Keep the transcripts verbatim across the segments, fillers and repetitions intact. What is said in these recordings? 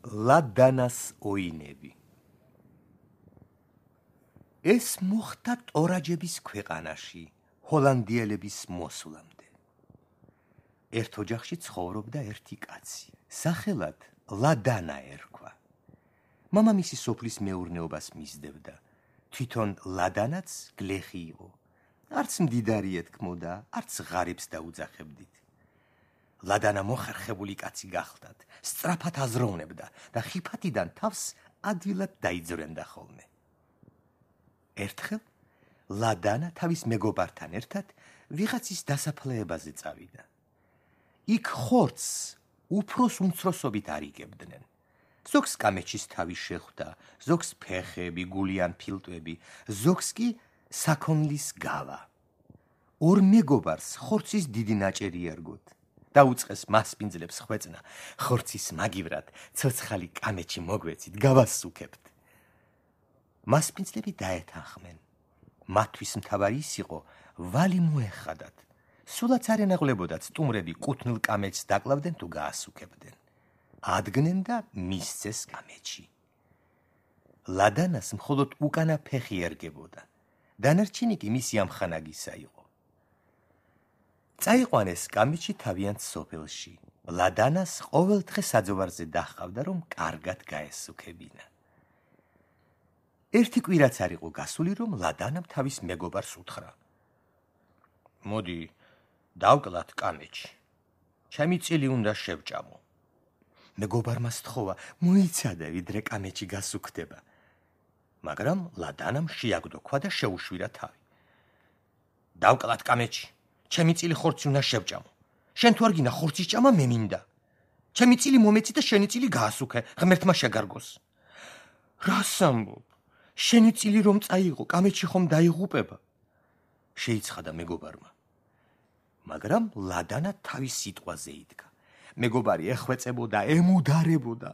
ლადანას ოინები. ეს მოხდა ტორაჯების ქვეყანაში, ჰოლანდიელების მოსვლამდე. ერთ ოჯახში ცხოვრობდა ერთი კაცი, სახელად ლადანა ერქვა. მამამისი სოფლის მეურნეობას მისდევდა, თვითონ ლადანაც გლეხი იყო. არც მდიდარი ეთქმოდა, არც ღარიბს დაუძახებდით. ლადანა მოხერხებული კაცი გახლდათ, სწრაფად აზროვნებდა და ხიფათიდან თავს ადვილად დაიძვრენდა ხოლმე. ერთხელ ლადანა თავის მეგობართან ერთად ვიღაცის დასაფლავებაზე წავიდა. იქ ხორცს უფროს უმცროსობით არიგებდნენ. ზოგს კამეჩის თავი შეხვდა, ზოგს ფეხები, გული ან ფილტვები, ზოგს კი საქონლის გავა. ორ მეგობარს ხორცის დიდი ნაჭერი ერგოთ. დაუწყეს მასპინძლებს ხვეწნა, ხორცის მაგივრად ცოცხალი კამეჩი მოგვეცით, გავასუქებთ. მასპინძლები დაეთანხმენ. მათთვის მთავარი ის იყო, ვალი მოეხადათ. სულაც არ ენაღლებოდათ სტუმრები კუთვნილ კამეჩს დაკლავდნენ თუ გაასუქებდნენ. ადგნენ და მისცეს კამეჩი. ლადანას მხოლოდ უკანა ფეხი ერგებოდა. დანარჩენი კი მისი ამხანაგისა იყო. წაიყვანეს კამეჩი თავიანთ სოფელში. ლადანას ყოველდღე საძოვარზე დაჰყავდა, რომ კარგად გაესუქებინა. ერთი კვირაც არ იყო გასული, რომ ლადანამ თავის მეგობარს უთხრა: მოდი, დავკლათ კამეჩი. ჩემი წილი უნდა შევჭამო. მეგობარმა სთხოვა, მოიცადე, ვიდრე კამეჩი გასუქდება. მაგრამ ლადანამ შეაგდო ქვა და შეუშვირა თავი. დავკლათ კამეჩი. ჩემი წილი ხორცი უნდა შევჭამო. შენ თუ არ გინდა ხორცის ჭამა, მე მინდა. ჩემი წილი მომეცი და შენი წილი გაასუქე, ღმერთმა შეგარგოს. რას ამბობ? შენი წილი რომ წაიღო, კამეჩი ხომ დაიღუპება? შეიცხადა მეგობარმა. მაგრამ ლადანა თავის სიტყვაზე იდგა. მეგობარი ეხვეწებოდა, ემუდარებოდა.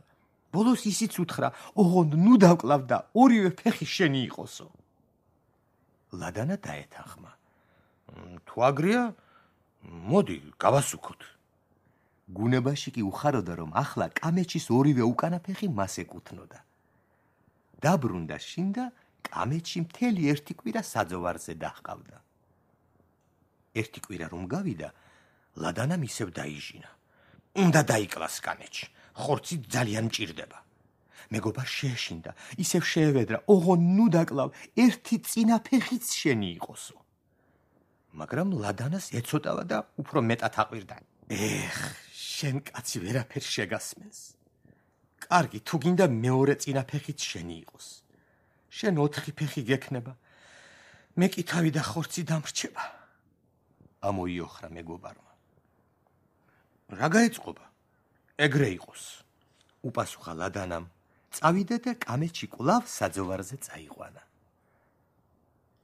ბოლოს ისიც უთხრა, ოღონდ ნუ დავკლავ და ორივე ფეხი შენი იყოსო. ლადანა დაეთანხმა. თუ აგრია, მოდი, გავასუქოთ. გუნებაში კი უხაროდა, რომ ახლა კამეჩის ორივე უკანა ფეხი მას ეკუთვნოდა. დაბრუნდა შინ და კამეჩი მთელი ერთი კვირა საძოვარზე დაჰყავდა. ერთი კვირა რომ გავიდა, ლადანამ ისევ დაიჟინა. უნდა დაიკლას კამეჩი, ხორცი ძალიან მჭირდება. მეგობარ შეეშინდა, ისევ შეევედრა, ოღონდ ნუ დაკლავ, ერთი წინა ფეხიც შენი იყოსო. მაგრამ ლადანას ეცოტავა და უფრო მეტად აყვირდა. ეხ, შენ კაცი ვერაფერს შეგასმენს. კარგი, თუ გინდა მეორე წინა ფეხიც შენი იყოს. შენ ოთხი ფეხი გექნება, მე კი თავი და ხორცი დამრჩება. ამოიოხრა მეგობარმა. რა გაეწყობა? ეგრე იყოს. უპასუხა ლადანამ, წავიდა და კამეჩი კვლავ საძოვარზე წაიყვანა.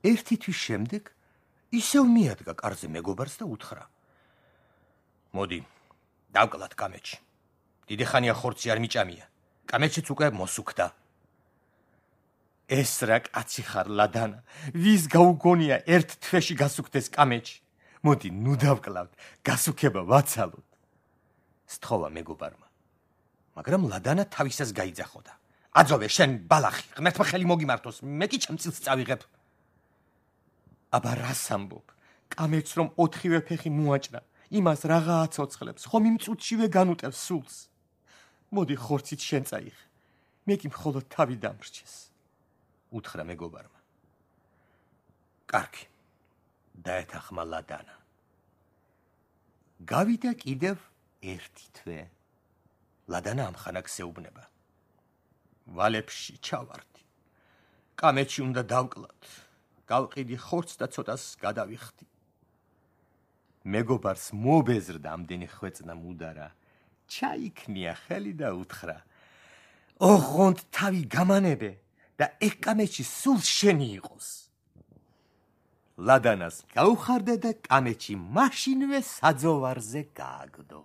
ერთი თვის შემდეგ ისევ მიადგა კარზე მეგობარს და უთხრა: მოდი, დავკლათ კამეჩი. დიდი ხანია ხორცი არ მიჭამია. კამეჩიც უკვე მოსუქდა. ეს რა კაცი ხარ, ლადანა, ვის გაუგონია ერთ თვეში გასუქდეს კამეჩი. მოდი, ნუ დავკლავთ, გასუქება ვაცალოთ. სთხოვა მეგობარმა. მაგრამ ლადანა თავისას გაიძახოდა. აძოვე, შენ ბალახი, ღმერთმა ხელი მოგიმართოს, მე კი ჩემ წილს წავიღებ. აბა რას ამბობ? კამეჩს რომ ოთხივე ფეხი მოაჭრა, იმას რაღა აცოცხლებს, ხომ იმ წუთშივე განუტევს სულს. მოდი ხორცით შენ წაიღე, მე კი მხოლოდ თავი დამრჩეს. უთხრა მეგობარმა. კარგი, დაეთანხმა ლადანა. გავიდა კიდევ ერთი თვე. ლადანა ამხანაგ სეუბნება. ვალებში ჩავარდი. კამეჩი უნდა დავკლათ. გავყიდი ხორცს და ცოტას გადავიხდი. მეგობარს მობეზრდა ამდენი ხვეწნა მუდარა. ჩაიქნია ხელი და უთხრა: ოღონდ თავი გამანებე და ეგ კამეჩი სულ შენი იყოს. ლადანას გაუხარდა და კამეჩი მაშინვე საძოვარზე გააგდო.